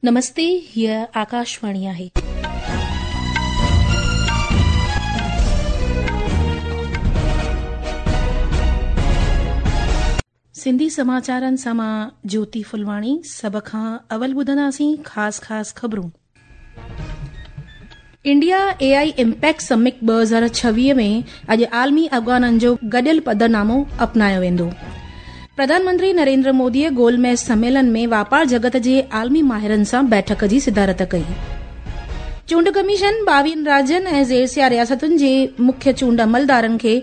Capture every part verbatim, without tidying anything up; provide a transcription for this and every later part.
नमस्ते, हीअ आकाशवाणी आहे. सिंधी समाचारनि सां मां ज्योति फुलवाणी। सभ खां अवल ॿुधंदासीं ख़ासि ख़ासि ख़बरूं। इंडिया एआई इम्पैक्ट समिट ॿ हज़ार छवीह में अॼु आलमी अॻवाननि जो गॾियल पधरनामो अपनायो वेंदो। प्रधानमंत्री नरेंद्र मोदीअ गोलमेज सम्मेलन में वापार जगत जे आलमी माहिरनि सां बैठक जी सदारत कई। चूंड कमीशन ॿावीहनि राज्यनि ऐं ज़ेरसिया रियासतुनि जे मुख्य चूंड अमलदारनि खे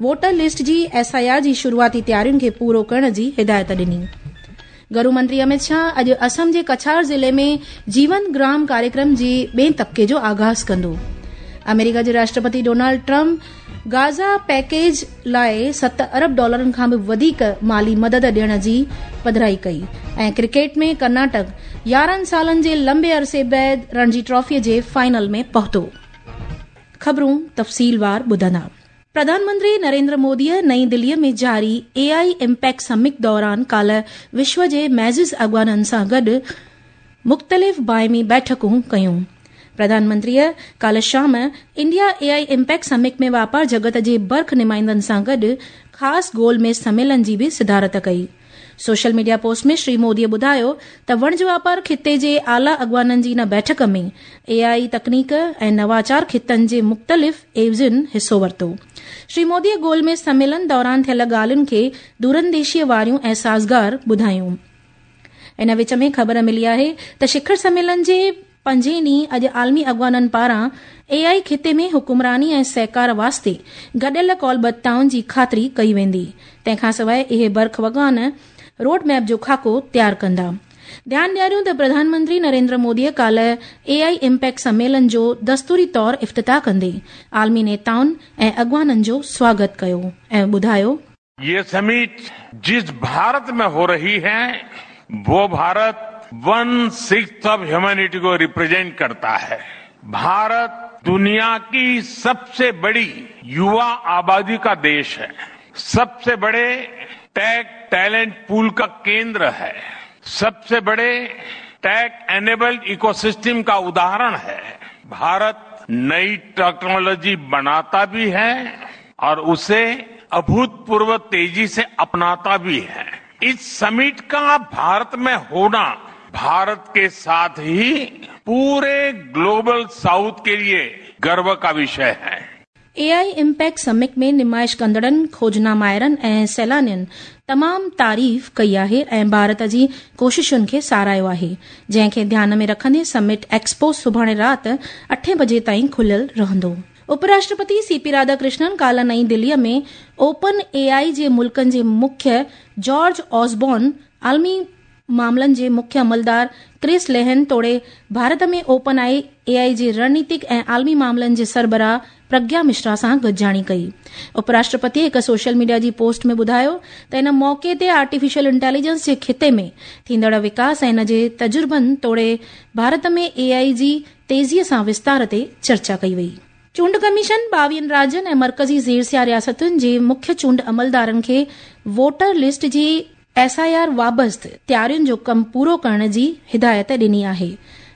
voter list G S I R जी शुरूआती तयारियुनि खे पूरो करण जी हिदायत ॾिनी। गृह मंत्री अमित शाह अॼु असम जे कछार ज़िले में जीवन ग्राम कार्यक्रम जे ॿिए तबिके जो आगाज़ कंदो। अमेरिका जे राष्ट्रपति डोनाल्ड ट्रंप गाज़ा पैकेज लाइ सत अरब डॉलरनि खां बि वधीक माली मदद ॾियण जी पधराई कई। ऐं क्रिकेट में कर्नाटक यारहं सालनि जे लंबे अरसे बाद रणजी ट्रॉफीअ जे फाइनल में पहुतो। ख़बरूं तफ़सीलवार ॿुधंदा। प्रधानमंत्री नरेंद्र मोदीअ नई दिल्लीअ में जारी एआई इम्पैक्ट समिट दौरान काल्ह विश्व जे मैज़िज़ अॻवाननि सां गॾु मुख़्तलिफ़ बाइमी बैठकूं कयूं। प्रधानमंत्रीअ काल्ह शाम इंडिया एआई इम्पैक्ट समिट में वापार जगत जे बर्ख नुमाइंदनि सां गॾु ख़ासि गोलमेज सम्मेलन जी बि सदारत कई। सोशल मीडिया पोस्ट में श्री मोदीअ ॿुधायो त वणज वापार खिते जे आला अॻवाननि जी इन बैठक में एआई तकनीक ऐं नवाचार खितनि जे मुख़्तलिफ़ एवज़ियुनि हिसो वरितो। श्री मोदीअ गोलमेज सम्मेलन दौरान थियल ॻाल्हियुनि खे दूरंदेशीअ वारियूं ऐं साज़गार ॿुधायूं। इन विच में ख़बर मिली आहे त शिखर सम्मेलन जे पंजे ॾींहुं अॼु आलमी अॻवाननि पारां एआई खिते में हुकुमरानी ऐं सहकार वास्ते गॾियल कौलबद्धताउनि जी ख़ातिरी कई वेंदी। तंहिंखां सवाइ इहे बर्ख अॻवान रोड मैप जो खाको तयारु कंदा। ध्यानु ॾियारियूं त प्रधानमंत्री नरेंद्र मोदीअ काल्ह एआई इम्पैक्ट सम्मेलन जो दस्तूरी तौर इफ्तिताह कंदे आलमी नेताउनि ऐं अॻवाननि जो स्वागत कयो ऐं ॿुधायो, ये समिट जिस भारत में हो रही है वो Bharat one sixth of humanity को रिप्रेजेंट करता है। भारत दुनिया की सबसे बड़ी युवा आबादी का देश है, सबसे बड़े टेक टैलेंट पूल का केंद्र है, सबसे बड़े टेक एनेबल्ड इकोसिस्टम का उदाहरण है। भारत नई टेक्नोलॉजी बनाता भी है और उसे अभूतपूर्व तेजी से अपनाता भी है। इस समिट का भारत में होना भारत के साथ ही पूरे ग्लोबल साउथ के लिए गर्व का विषय है। एआई इम्पैक्ट समिट में नुमाइश कंदड़नि, खोजना माहिरनि ऐं सैलानियुनि तमामु तारीफ़ कई आहे ऐं भारत जी कोशिशुनि खे सराहियो आहे, जंहिंखे ध्यान में रखंदे समिट एक्सपो सुभाणे राति अठे बजे ताईं खुलियल रहंदो। उपराष्ट्रपति सीपी राधाकृष्णन काल्ह नई दिल्लीअ में ओपन एआई जे मुल्कनि जे मुख्य जॉर्ज ऑसबॉर्न, आलमी मामलनि जे मुख्य अमलदार क्रिस लेहन तोड़े भारत में ओपन आई एआई जे रणनीतिक ऐं आलमी मामलनि जे सरबराह प्रज्ञा मिश्रा सां गॾिजाणी कई। उपराष्ट्रपति हिकु सोशल मीडिया जी पोस्ट में ॿुधायो त इन मौक़े ते आर्टिफिशियल इंटेलिजेंस जे खिते में थींदड़ विकास ऐं इन जे तजुर्बनि तोड़े भारत में एआई जी तेज़ीअ सां विस्तार ते चर्चा कई वई। चूंड कमीशन ॿावीहनि राज्यनि ऐं मर्कज़ी ज़ेरसिया रियासतुनि जे मुख्य चूंड अमलदारनि खे voter list G S I R वाबस्त तयारियुनि जो कमु पूरो करण जी हिदायत ॾिनी आहे।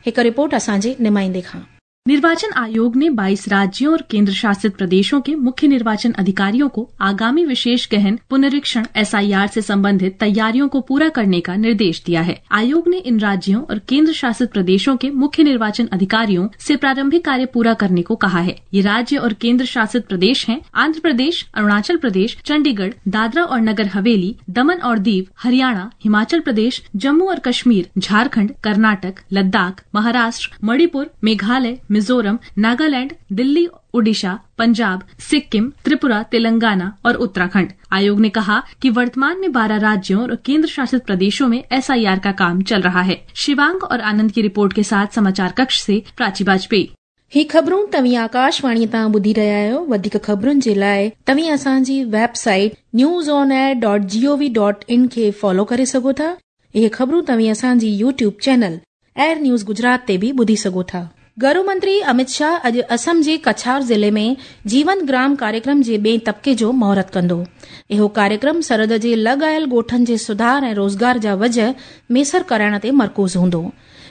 हिकु रिपोर्ट असांजे नुमाइंदे खां। निर्वाचन आयोग ने बाईस राज्यों और केंद्र शासित प्रदेशों के मुख्य निर्वाचन अधिकारियों को आगामी विशेष गहन पुनरीक्षण एस I R से संबंधित तैयारियों को पूरा करने का निर्देश दिया है। आयोग ने इन राज्यों और केंद्र शासित प्रदेशों के मुख्य निर्वाचन अधिकारियों से प्रारंभिक कार्य पूरा करने को कहा है। ये राज्य और केंद्र शासित प्रदेश हैं आंध्र प्रदेश, अरुणाचल प्रदेश, चंडीगढ़, दादरा और नगर हवेली, दमन और दीव, हरियाणा, हिमाचल प्रदेश, जम्मू और कश्मीर, झारखंड, कर्नाटक, लद्दाख, महाराष्ट्र, मणिपुर, मेघालय, मिजोरम, नागालैंड, दिल्ली, ओडिशा, पंजाब, सिक्किम, त्रिपुरा, तेलंगाना और उत्तराखंड। आयोग ने कहा कि वर्तमान में बारह राज्यों और केंद्र शासित प्रदेशों में एस I R का काम चल रहा है। शिवांग और आनंद की रिपोर्ट के साथ समाचार कक्ष से प्राची वाजपेयी। ही ख़बरूं तव्हीं आकाशवाणी तां ॿुधी रहिया आहियो। वधीक ख़बरुनि जे लाइ तव्हीं असांजी website news on air dot gov dot in खे फॉलो करे सघो था। इहे ख़बरूं तव्हीं असांजी YouTube channel air news Gujarat ते बि ॿुधी सघो था। गृह मंत्री अमित शाह अॼु असम जे कछार ज़िले में जीवन ग्राम कार्यक्रम जे ॿिए तबिके जो मुहूर्त कंदो। इहो कार्यक्रम सरहद जे लॻ आयल ॻोठनि जे सुधार ऐं रोज़गार जा वजह मेसर कराइण ते मरकूज़ हूंदो।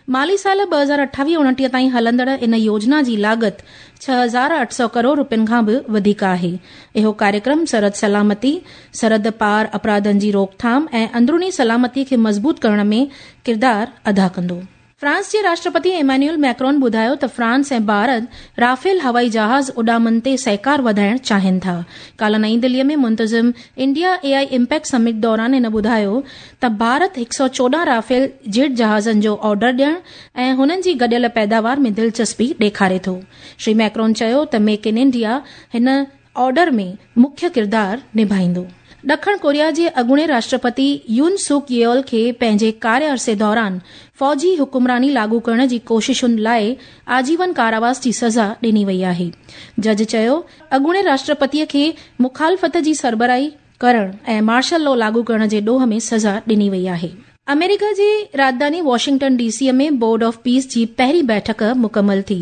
माली साल ॿ हज़ार अठावीह उणिटीह ताईं हलंदड़ इन योजना जी लागत छह हज़ार अठ सौ करोड़ रुपयनि खां बि वधीक आहे। इहो कार्यक्रम सरहद सलामती, सरहद पार अपराधनि जी रोकथाम ऐं अंदरूनी सलामती खे मज़बूत करण में किरदार अदा कंदो। फ्रांस जे राष्ट्रपति एमान्युअल मैक्रोन ॿुधायो त फ्रांस ऐं भारत राफेल हवाई जहाज़ उॾामनि ते सहकार वधाइण चाहिनि था। काल्ह नई दिल्लीअ में मुंतज़िम इंडिया एआई इम्पैक्ट समिट दौरान हिन ॿुधायो त भारत हिकु सौ चोॾहं राफेल जेट जहाज़नि जो ऑर्डर ॾियण ऐं हुननि जी गॾियल पैदावार में दिलचस्पी ॾेखारे थो। श्री मैक्रोन चयो त मेक इन इंडिया हिन ऑर्डर में मुख्य किरदार निभाईंदो। ॾखण कोरिया जे अॻूणे राष्ट्रपति यून सुक येओल खे पंहिंजे कार्य अरसे दौरान फौजी हुकुमरानी लागू करण जी कोशिशुनि लाइ आजीवन कारावास जी सज़ा ॾिनी वई आहे। जज चयो अॻूणे राष्ट्रपतीअ खे मुखालफ़त जी सरबराही करण ऐं मार्शल लॉ लागू करण जे ॾोह में सज़ा ॾिनी वई आहे। अमेरिका जी राजधानी वॉशिंगटन डीसी में बोर्ड ऑफ पीस जी पहिरीं बैठक मुकमल थी।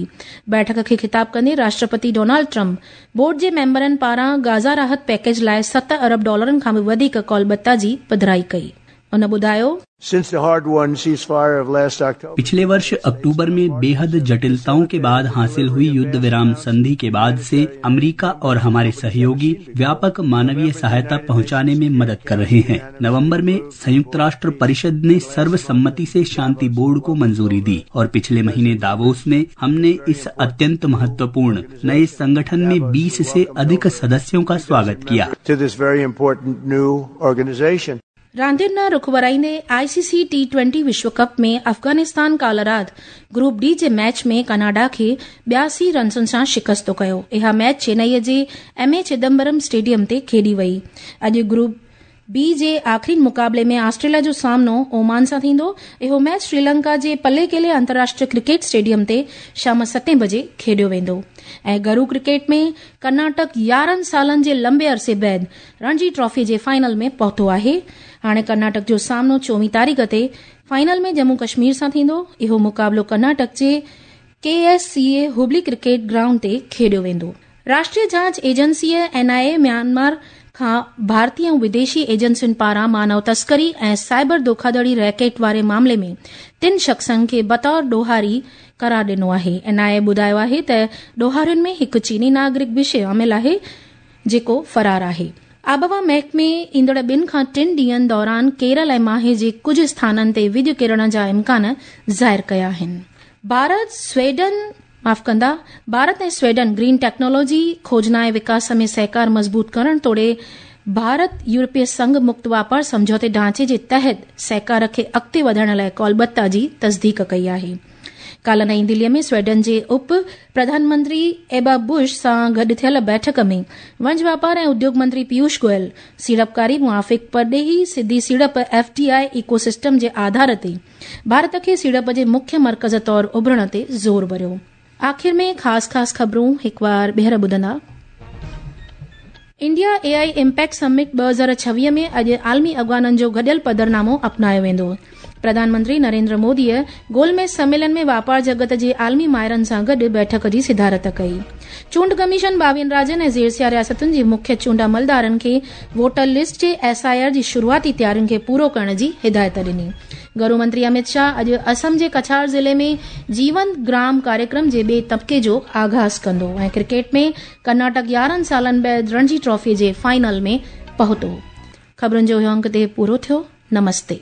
बैठक खे खिताब कंदे राष्ट्रपति डोनाल्ड ट्रंप बोर्ड जे मेंबरनि पारां गाज़ा राहत पैकेज लाइ सत अरब डॉलरनि खां बि वधीक कौलबत्ता जी पधराई कई। उन ॿुधायो, पिछले वर्ष अक्टूबर में बेहद जटिलताओं के बाद हासिल हुई युद्ध विराम संधि के बाद से अमेरिका और हमारे सहयोगी व्यापक मानवीय सहायता पहुंचाने में मदद कर रहे हैं। नवंबर में संयुक्त राष्ट्र परिषद ने सर्वसम्मति से शांति बोर्ड को मंजूरी दी और पिछले महीने दावोस में हमने इस अत्यंत महत्वपूर्ण नए संगठन में बीस से अधिक सदस्यों का स्वागत किया। रांदियुनि न रुख वराईंदे आईसीसी टी ट्वेंटी विश्व कप में अफ़गानिस्तान काल्ह राति ग्रुप डी जे मैच में कनाडा खे ॿियासी रन्सुनि सां शिकस्तो कयो। इहा मैच चेन्नईअ जे एम ए चिदम्बरम स्टेडियम ते खेॾी वई। अॼु ग्रुप बी जे आख़िरी मुक़ाबले में ऑस्ट्रेलिया जो सामनो ओमान सां थींदो। इहो मैच श्रीलंका जे पलेकेले अंतर्राष्ट्रीय क्रिकेट स्टेडियम ते शाम सतें बजे खेॾियो वेंदो। ऐं घरू क्रिकेट में कर्नाटक यारहं सालनि जे लंबे अरसे बाद रणजी ट्रॉफी जे फाइनल में पहुतो आहे। हाणे कर्नाटक जो सामनो चोवीह तारीख़ ते फाइनल में जम्मू कश्मीर सां थींदो। इहो मुक़ाबलो कर्नाटक जे K S C A Hubli cricket ground ते खेॾियो वेंदो। राष्ट्रीय जांच एजेंसीअ एन I A Myanmar खां भारतीय ऐं विदेशी एजेंसियुनि पारां मानव तस्करी ऐं साइबर धोखाधड़ी रैकेट वारे मामले में टिनि शख़्सनि खे बतौर ॾोहारी करार ॾिनो आहे। एन I ए ॿुधायो आहे त ॾोहारियुनि में हिकु चीनी नागरिक बि शामिल आहे जेको फरार आहे। आबहवा महकमे ईंदड़ ॿिनि खां टिनि ॾींहंनि दौरान केरल ऐं माहे जे कुझु स्थाननि ते विज किरण जा इम्कान ज़ाहिर कया आहिनि। भारत स्वीडन माफ़ कंदा भारत ऐं स्वीडन ग्रीन टेक्नोलॉजी खोजना ऐं विकास में सहकार मज़बूत करण तोड़े भारत यूरोपीय संघ मुक्त वापार सम्झौते ढांचे जे तहत सहकार खे अॻिते वधाइण लाइ कौलबत्ता जी तस्दीक कई आहे। काल्ह नई दिल्लीअ में स्वीडन जे उप प्रधानमंत्री एबा बुश सां गॾु थियल बैठक में वणज वापार ऐं उद्योग मंत्री पीयूष गोयल सीड़पकारी मुआफ़िक़ परॾेही सिधी सीड़प एफ डी I ecosystem जे आधार ते भारत खे सीड़प जे मुख्य मर्कज़ तौर उभरण ते ज़ोर भरियो। आख़िर में ख़ासि ख़ासि ख़बरूं हिकु बार ॿीहर ॿुधंदा। इंडिया एआई इम्पैक्ट समिट ॿ हज़ार छवीह में अॼु आलमी अॻवाननि जो गॾियल पधरनामो अपनायो वेंदो। प्रधानमंत्री नरेंद्र मोदीअ गोलमेज सम्मेलन में वापार जगत जे आलमी माहिरनि सां गॾु बैठक जी सिदारत कई। चूंड कमीशन ॿावीहनि राज्यनि ऐं ज़ेरसिया रियासतुनि जे मुख्य चूंड अमलदारनि खे voter list J S I R जी शुरूआती तयारियुनि खे पूरो करण जी हिदायत ॾिनी। गृह मंत्री अमित शाह अॼु असम जे कछार ज़िले में जीवन ग्राम कार्यक्रम जे ॿिए तबिके जो आगाज़ कंदो। ऐं क्रिकेट में कर्नाटक यारहं सालनि बाद रणजी ट्रॉफी जे फाइनल में पहुतो। ख़बरुनि जो इहो अंक ते पूरो थियो। नमस्ते।